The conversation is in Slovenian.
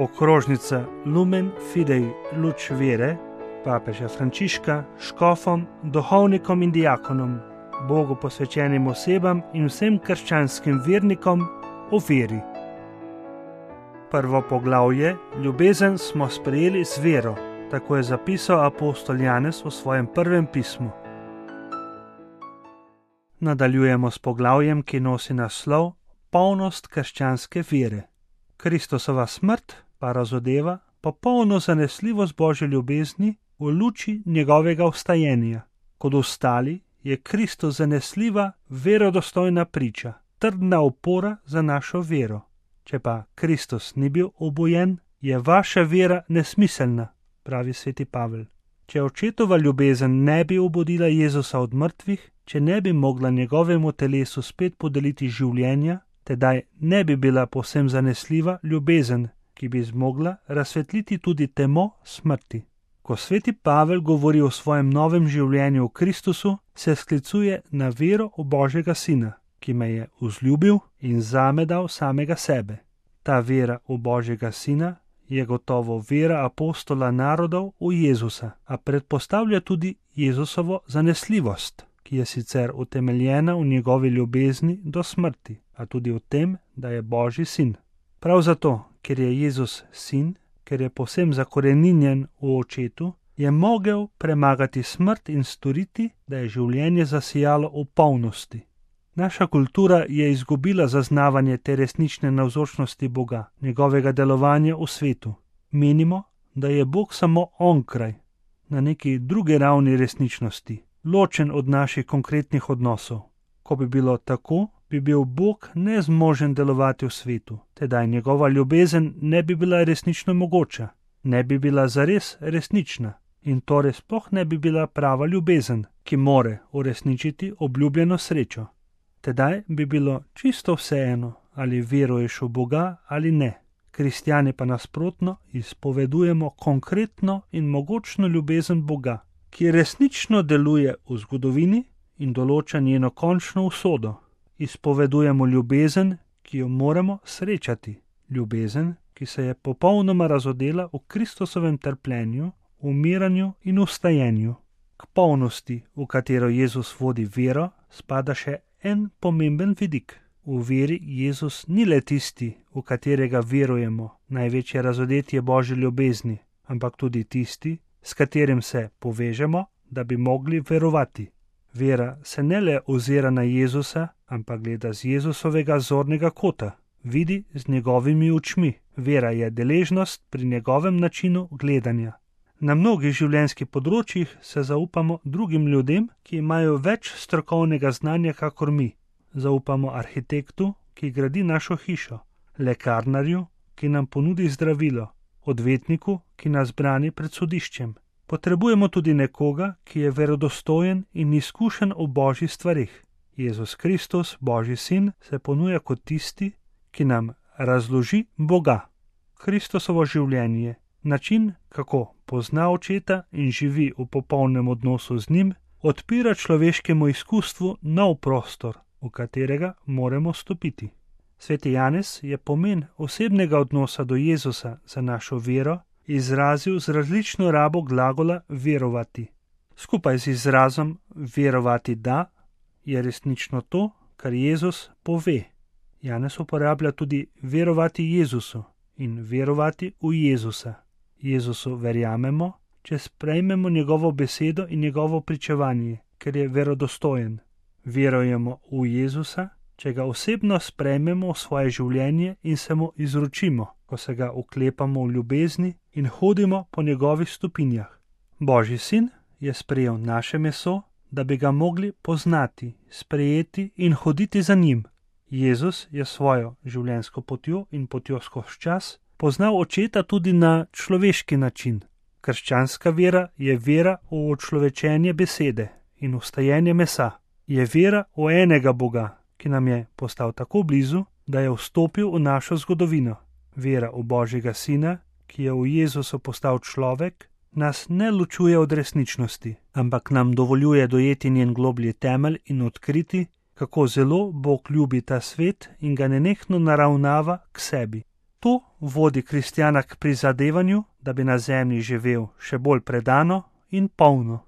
Okrožnica Lumen Fidei Luč vere papeža Frančiška škofom, duhovnikom in diakonom, Bogu posvečenim osebam in vsem krščanskim vernikom o veri. Prvo poglavje, ljubezen smo sprejeli z vero, tako je zapisal apostol Janez v svojem prvem pismu. Nadaljujemo s poglavjem, ki nosi naslov Polnost krščanske vere. Kristusova smrt pa razodeva popolno zanesljivost Božje ljubezni v luči njegovega vstajenja. Kot ostali je Kristus zanesljiva, verodostojna priča, trdna opora za našo vero. Če pa Kristus ni bil obojen, je vaša vera nesmiselna, pravi sveti Pavel. Če očetova ljubezen ne bi obudila Jezusa od mrtvih, če ne bi mogla njegovemu telesu spet podeliti življenja, tedaj ne bi bila povsem zanesljiva ljubezen, ki bi zmogla razsvetliti tudi temo smrti. Ko sveti Pavel govori o svojem novem življenju v Kristusu, se sklicuje na vero v Božjega Sina, ki me je vzljubil in zame dal samega sebe. Ta vera v Božjega Sina je gotovo vera apostola narodov v Jezusa, a predpostavlja tudi Jezusovo zanesljivost, ki je sicer utemeljena v njegovi ljubezni do smrti, a tudi v tem, da je Božji sin. Prav zato, ker je Jezus sin, ker je povsem zakoreninjen v očetu, je mogel premagati smrt in storiti, da je življenje zasijalo v polnosti. Naša kultura je izgubila zaznavanje te resnične navzočnosti Boga, njegovega delovanja v svetu. Menimo, da je Bog samo onkraj, na neki drugi ravni resničnosti, ločen od naših konkretnih odnosov. Ko bi bilo tako, bi bil Bog nezmožen delovati v svetu, tedaj njegova ljubezen ne bi bila resnično mogoča, ne bi bila zares resnična in torej sploh ne bi bila prava ljubezen, ki more uresničiti obljubljeno srečo. Tedaj bi bilo čisto vseeno, ali veruješ v Boga ali ne. Kristjani pa nasprotno izpovedujemo konkretno in mogočno ljubezen Boga, ki resnično deluje v zgodovini in določa njeno končno usodo. Izpovedujemo ljubezen, ki jo moramo srečati. Ljubezen, ki se je popolnoma razodela v Kristusovem trpljenju, umiranju in vstajenju. K polnosti, v katero Jezus vodi vero, spada še en pomemben vidik. V veri Jezus ni le tisti, v katerega verujemo, največje razodetje Božje ljubezni, ampak tudi tisti, s katerim se povežemo, da bi mogli verovati. Vera se ne le ozira na Jezusa, ampak gleda z Jezusovega zornega kota, vidi z njegovimi očmi. Vera je deležnost pri njegovem načinu gledanja. Na mnogih življenjskih področjih se zaupamo drugim ljudem, ki imajo več strokovnega znanja kakor mi. Zaupamo arhitektu, ki gradi našo hišo, lekarnarju, ki nam ponudi zdravilo, odvetniku, ki nas brani pred sodiščem. Potrebujemo tudi nekoga, ki je verodostojen in izkušen v Božjih stvareh. Jezus Kristus, Božji sin, se ponuja kot tisti, ki nam razloži Boga. Kristusovo življenje, način, kako pozna očeta in živi v popolnem odnosu z njim, odpira človeškemu izkustvu nov prostor, v katerega moramo stopiti. Sveti Janez je pomen osebnega odnosa do Jezusa za našo vero izrazil z različno rabo glagola verovati. Skupaj z izrazom verovati da je resnično to, kar Jezus pove. Janez uporablja tudi verovati Jezusu in verovati v Jezusa. Jezusu verjamemo, če sprejmemo njegovo besedo in njegovo pričevanje, ker je verodostojen. Verujemo v Jezusa, če ga osebno sprejmemo v svoje življenje in se mu izročimo, ko se ga oklepamo v ljubezni in hodimo po njegovih stopinjah. Božji sin je sprejel naše meso, da bi ga mogli poznati, sprejeti in hoditi za njim. Jezus je svojo življenjsko potjo in potjo skozi čas poznal očeta tudi na človeški način. Krščanska vera je vera v očlovečenje besede in vstajenje mesa. Je vera v enega Boga, ki nam je postal tako blizu, da je vstopil v našo zgodovino. Vera v Božjega Sina, ki je v Jezusu postal človek, nas ne ločuje od resničnosti, ampak nam dovoljuje dojeti njen globlji temelj in odkriti, kako zelo Bog ljubi ta svet in ga nenehno naravnava k sebi. To vodi kristjana k prizadevanju, da bi na zemlji živel še bolj predano in polno.